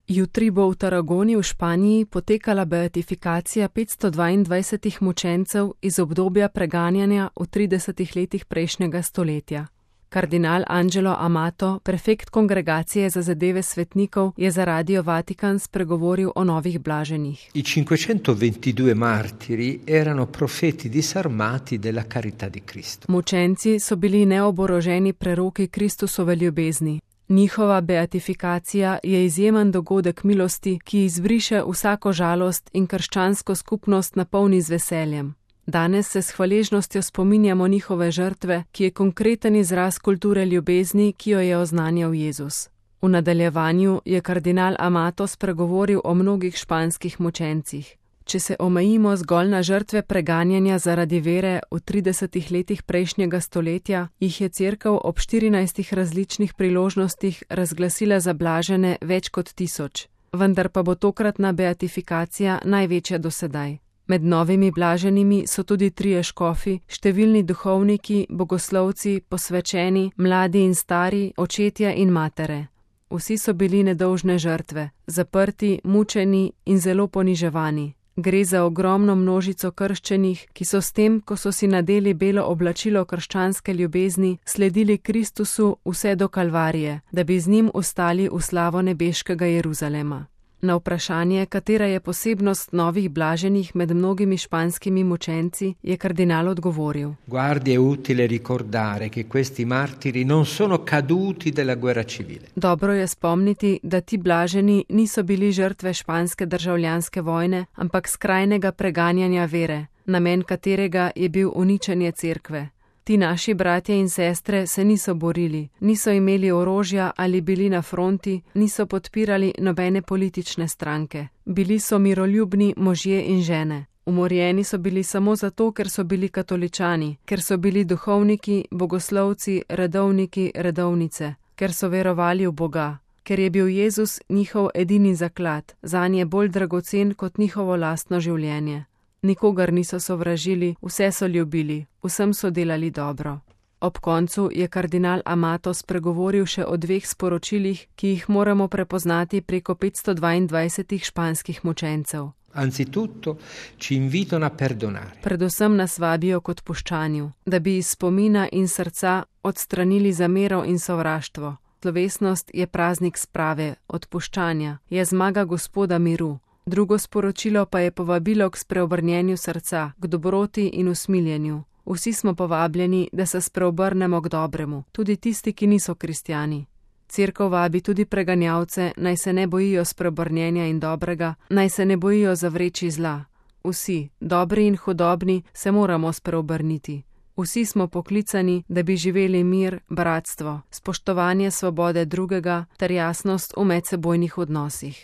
Jutri bo v Tarragoni v Španiji potekala beatifikacija 522 mučencev iz obdobja preganjanja v 30 letih prejšnjega stoletja. Kardinal Angelo Amato, prefekt Kongregacije za zadeve svetnikov, je za Radio Vatikan spregovoril o novih blaženih. I 522 martiri erano profeti disarmati della carità di Cristo. Mučenci so bili neoboroženi preroki Kristusove ljubezni. Njihova beatifikacija je izjemen dogodek milosti, ki izbriše vsako žalost in krščansko skupnost napolni z veseljem. Danes se s hvaležnostjo spominjamo njihove žrtve, ki je konkreten izraz kulture ljubezni, ki jo je oznanjal Jezus. V nadaljevanju je kardinal Amato spregovoril o mnogih španskih mučencih. Če se omejimo zgolj na žrtve preganjanja zaradi vere v 30 letih prejšnjega stoletja, jih je Cerkev ob 14 različnih priložnostih razglasila za blažene več kot 1000, vendar pa bo tokratna beatifikacija največja do sedaj. Med novimi blaženimi so tudi 3 škofi, številni duhovniki, bogoslovci, posvečeni, mladi in stari, očetje in matere. Vsi so bili nedolžne žrtve, zaprti, mučeni in zelo poniževani. Gre za ogromno množico krščenih, ki so s tem, ko so si nadeli belo oblačilo krščanske ljubezni, sledili Kristusu vse do Kalvarije, da bi z njim ostali v slavo nebeškega Jeruzalema. Na vprašanje, katera je posebnost novih blaženih med mnogimi španskimi mučenci, je kardinal odgovoril. Guardi, è utile ricordare che questi martiri non sono caduti della guerra civile. Dobro je spomniti, da ti blaženi niso bili žrtve španske državljanske vojne, ampak skrajnega preganjanja vere, namen katerega je bil uničenje cerkve. Ti naši bratje in sestre se niso borili, niso imeli orožja ali bili na fronti, niso podpirali nobene politične stranke. Bili so miroljubni možje in žene. Umorjeni so bili samo zato, ker so bili katoličani, ker so bili duhovniki, bogoslovci, redovniki, redovnice, ker so verovali v Boga, ker je bil Jezus njihov edini zaklad, zanje bolj dragocen kot njihovo lastno življenje. Nikogar niso sovražili, vse so ljubili, vsem so delali dobro. Ob koncu je kardinal Amato spregovoril še o 2 sporočilih, ki jih moramo prepoznati preko 522 španskih mučencev. Anzitutto ci invitano a perdonare. Predvsem nas vabijo k odpuščanju, da bi iz spomina in srca odstranili zamero in sovraštvo. Slovesnost je praznik sprave, odpuščanja, je zmaga Gospoda miru. Drugo sporočilo pa je povabilo k spreobrnjenju srca, k dobroti in usmiljenju. Vsi smo povabljeni, da se spreobrnemo k dobremu, tudi tisti, ki niso kristjani. Cerkev vabi tudi preganjavce, naj se ne bojijo spreobrnjenja in dobrega, naj se ne bojijo zavreči zla. Vsi, dobri in hudobni, se moramo spreobrniti. Vsi smo poklicani, da bi živeli mir, bratstvo, spoštovanje svobode drugega ter jasnost v medsebojnih odnosih.